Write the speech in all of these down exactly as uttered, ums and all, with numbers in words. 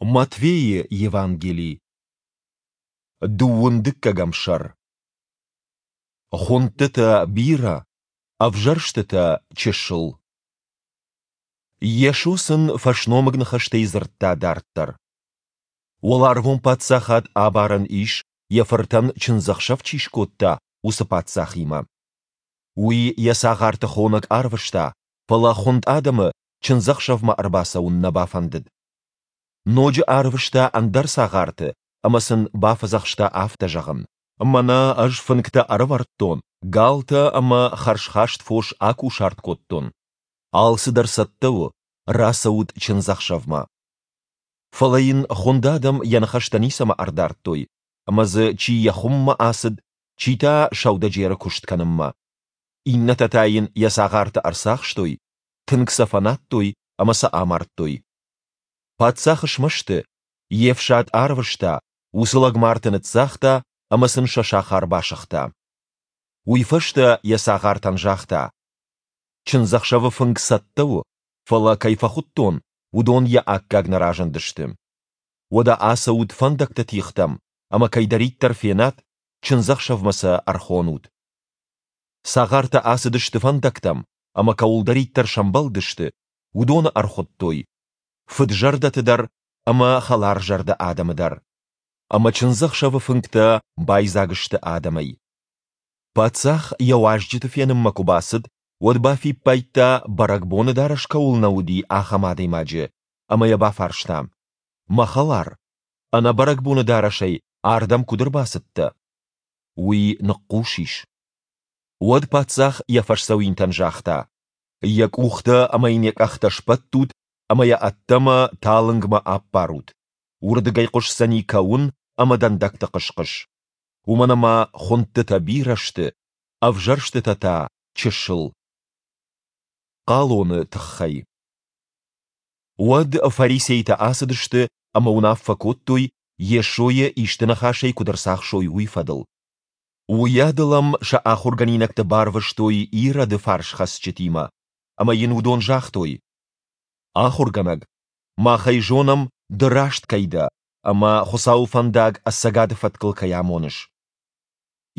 Матфейы Евангели, дыууын дыккӕгӕм сӕр. Хуындтытӕ бирӕ, ӕвзӕрстытӕ чысыл. Йесо сын фӕсномыг ныхӕстӕй дзырдта дарддӕр. Уӕларвон Паддзахад абарӕн ис, йӕ фыртӕн чындзӕхсӕв чи скодта, уыцы паддзахимӕ. Уый йӕ цагъарты хонӕг арвыста, фӕлӕ хуынд адӕмы чындзӕхсӕвмӕ ӕрбацӕуын нӕ бафӕндыд. Ноджы арвыста ӕндӕр цагъарты ӕмӕ сын бафӕдзӕхста афтӕ зӕгъын: Мӕнӕ ӕз фынгтӕ ӕрӕвӕрдтон, галтӕ ӕмӕ хӕрзхаст фос акусарт кодтон. Алцыдӕр цӕттӕ у, рацӕут чындзӕхсӕвмӕ. Фӕлӕ йын хуынд адӕм йӕ ныхӕстӕ ницӕмӕ ӕрдардтой, ӕмӕ дзы чи йӕ хуыммӕ ацыд, чи та сӕудӕджеры куыст кӕнынмӕ. Иннӕтӕ та йын йӕ цагъарты ӕрцахстой, тынг сӕ фӕнадтой ӕмӕ сӕ амардтой. Паддзах смӕсты, йе фсад арвыста, уыцы лӕгмарты ныццагъта ӕмӕ сын сӕ сахар басыгъта. Уый фӕстӕ йӕ цагъартӕн загъта: Чындзӕхсӕвы фынг цӕттӕ у, фӕлӕ кӕй фӕхуыдтон, уыдон йӕ аккаг нӕ разындысты. Уӕдӕ ацӕут фӕндӕгты тигътӕм ӕмӕ кӕйдӕриддӕр фенат, чындзӕхсӕвмӕ сӕ ӕрхонут. Цагъартӕ ацыдысты фӕндӕгтӕм ӕмӕ кӕуылдӕриддӕр сӕмбӕлдысты, уыдоны ӕрхуыдтой, фыд-зӕрдӕты дӕр ӕмӕ хӕларзӕрдӕ адӕмы дӕр. Ӕмӕ чындзӕхсӕвы фынгтӕ байдзаг сты адӕмӕй. Паддзах йӕ уазджыты фенынмӕ куы бацыд, уӕд бафиппайдта, бӕрӕгбоны дарӕс кӕуыл нӕ уыди, ахӕм адӕймаджы, ӕмӕ йӕ бафарста: «Мӕ хӕлар, ӕнӕ бӕрӕгбоны дарӕсӕй ардӕм куыд ӕрбацыдтӕ?» Уый ныхъхъус ис. Уӕд паддзах йӕ фӕсдзӕуинтӕн загъта: «Йӕ къухтӕ ӕмӕ йын йӕ къӕхтӕ сбӕттут ӕмӕ йӕ ӕддӕмӕ, талынгмӕ аппарут. Уырдыгӕй хъуысдзӕни кӕуын ӕмӕ дӕндӕгты хъыс-хъыс. Уымӕн ӕмӕ хуындтытӕ бирӕ сты, ӕвзӕрстытӕ та чысыл». Хъалоны тыххӕй. Уӕд фарисейтӕ ацыдысты ӕмӕ уынаффӕ кодтой, Йесойы исты ныхасӕй куыд ӕрцахсой, уый фӕдыл. Уыйадыл ӕм сӕ ахуыргӕнинӕгты барвыстой Ироды фарсхӕцджытимӕ, ӕмӕ йын уыдон загътой: Ахуыргӕнӕг, мах ӕй зонӕм, ды раст кӕй дӕ ӕмӕ Хуыцауы фӕндаг ӕцӕгады фӕткыл кӕй амоныс.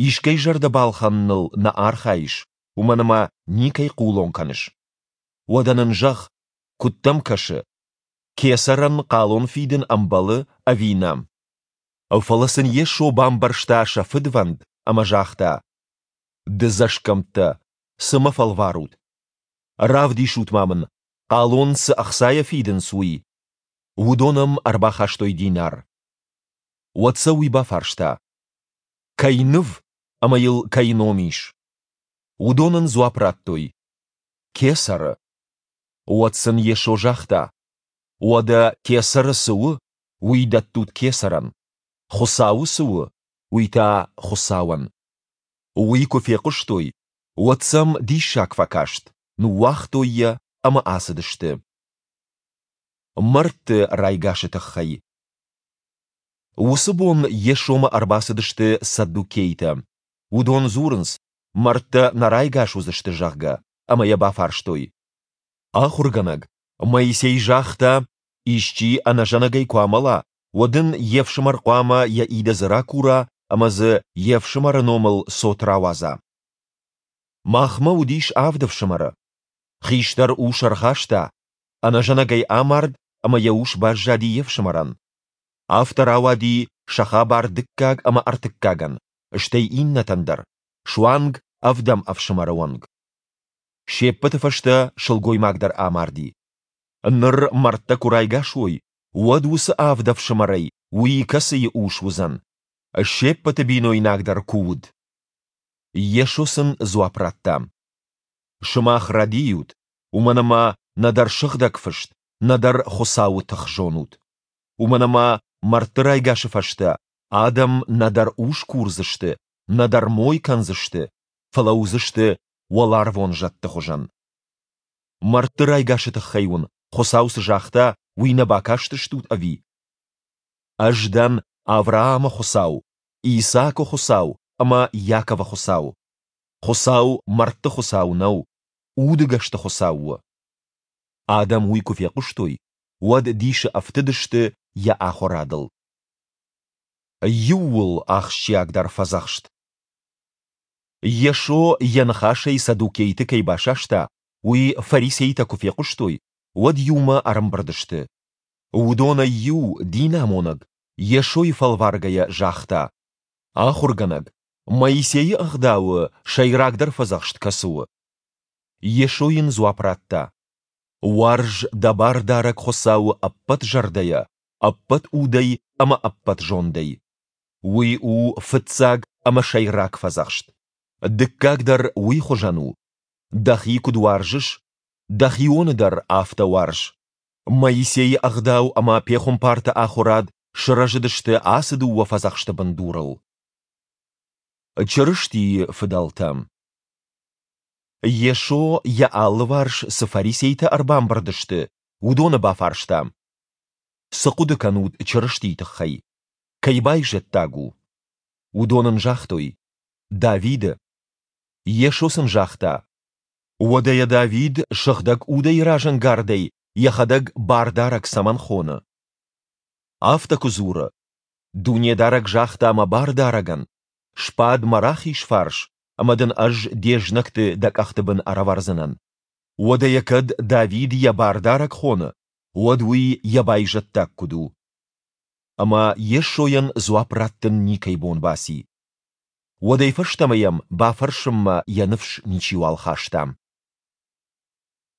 Искӕй зӕрдӕ балхӕныныл нӕ архайыс, уымӕн ӕмӕ никӕй хъулон кӕныс. Уӕдӕ нын зӕгъ, куыд дӕм кӕсы, кесӕрӕн хъалон фидын ӕмбӕлы ӕви нӕ? Фӕлӕ сын Йесо бамбӕрста сӕ фыдвӕнд ӕмӕ загъта: Дыдзӕсгӕмттӕ, цы мӕ фӕлварут? Равдисут-ма мын, хъалон цы ӕхцайӕ фидынц, уый. Уыдон ӕм ӕрбахастой динар. Уӕд сӕ уый бафарста: Кӕй ныв ӕмӕ йыл кӕй ном ис? Уыдон ын дзуапп радтой: Кесӕры. Уӕд сын Йесо загъта: Уӕдӕ кесӕры цы у, уый дӕттут кесӕрӕн, Хуыцауы цы у, уый та Хуыцауӕн. Уый куы фехъуыстой, уӕд сӕм диссаг фӕкаст, ныууагътой йӕ ӕмӕ ацыдысты. Мӕрдты райгасы тыххӕй. Уыцы бон Йесомӕ ӕрбацыдысты саддукейтӕ. Уыдон дзурынц, мӕрдтӕ нӕ райгас уыдзысты, зӕгъгӕ, ӕмӕ йӕ бафарстой: Ахуыргӕнӕг, Моисей загъта, исчи ӕнӕзӕнӕгӕй куы амӕла, уӕд ын йе фсымӕр хъуамӕ йӕ идӕдзы ракура ӕмӕ дзы йе фсымӕры номыл цот рауадза. Махмӕ уыдис авд ӕфсымӕры. Хистӕр ус ӕрхаста, ӕнӕзӕнӕгӕй амард ӕмӕ йӕ ус баззади йе фсымӕрӕн. Афтӕ рауади сӕ хабар дыккаг ӕмӕ ӕртыккагӕн, стӕй иннӕтӕн дӕр, суанг ӕвдӕм ӕфсымӕры онг. Се ппӕты фӕстӕ сылгоймаг дӕр амарди. Ныр мӕрдтӕ куы райгас уой, уӕд уыцы авд ӕфсымӕрӕй уый кӕцыйы ус уыдзӕн? Се ппӕты бинойнаг дӕр куы уыд. Йесо сын дзуапп радта: Сымах рӕдийут, уымӕн ӕмӕ нӕдӕр Сыгъдӕг Фыст, нӕдӕр Хуыцауы тых зонут. Уымӕн ӕмӕ мӕрдты райгасы фӕстӕ адӕм нӕдӕр ус курдзысты, нӕдӕр мой кӕндзысты, фӕлӕ уыдзысты уӕларвон зӕдты хуызӕн. Мӕрдты райгасы тыххӕй уын Хуыцау цы загъта, уый нӕ бакастыстут ӕви? Ӕз дӕн Авраамы Хуыцау, Исаакы Хуыцау ӕмӕ Иаковы Хуыцау. Хуыцау мӕрдты Хуыцау нӕу, удыгӕсты Хуыцау у. Адӕм уый куы фехъуыстой, уӕд дисы ӕфтыдысты Йӕ ахуырадыл. Иууыл ахсджиагдӕр фӕдзӕхст. Йесо йӕ ныхасӕй саддукейты кӕй басаста, уый фарисейтӕ куы фехъуыстой, уӕд иумӕ ӕрӕмбырд сты. Уыдонӕй иу, динамонӕг, Йесойы фӕлваргӕйӕ загъта: Ахуыргӕнӕг, Моисейы Ӕгъдауы сӕйрагдӕр фӕдзӕхст кӕцы у? Йесо йын дзуапп радта: Уарз дӕ Бардарӕг Хуыцауы ӕппӕт зӕрдӕйӕ, ӕппӕт удӕй ӕмӕ ӕппӕт зондӕй. Уый у фыццаг ӕмӕ сӕйраг фӕдзӕхст. Дыккаг дӕр уый хуызӕн у: дӕхи куыд уарзыс, дӕ хионы дӕр афтӕ уарз. Моисейы Ӕгъдау ӕмӕ пехуымпарты ахуырад сырӕзыдысты ацы дыууӕ фӕдзӕхсты бындурыл. Чырыстийы фыдӕлтӕ Йесо, йӕ алыварс цы фарисейтӕ ӕрбамбырд сты, уыдоны бафарста: Цы хъуыды кӕнут Чырыстийы тыххӕй? Кӕй байзӕддаг у? Уыдон ын загътой: Давиды. Йесо сын загъта: Уӕдӕ йӕ Давид Сыгъдӕг Удӕй разӕнгардӕй йӕхӕдӕг Бардарӕг цӕмӕн хоны? Афтӕ куы дзуры: Дунедарӕг загъта мӕ Бардарӕгӕн: Сбад мӕ рахиз фарс, ӕмӕ дын Ӕз де знӕгты дӕ къӕхты бын ӕрӕвӕрдзынӕн. Уӕдӕ йӕ кӕд Давид йӕ Бардарӕг хоны, уӕд уый йӕ байзӕддаг куыд у? Ӕмӕ Йесойӕн дзуапп раттын никӕй бон баци. Уӕдӕй фӕстӕмӕ йӕм бафӕрсынмӕ йӕ ныфс ничиуал хаста.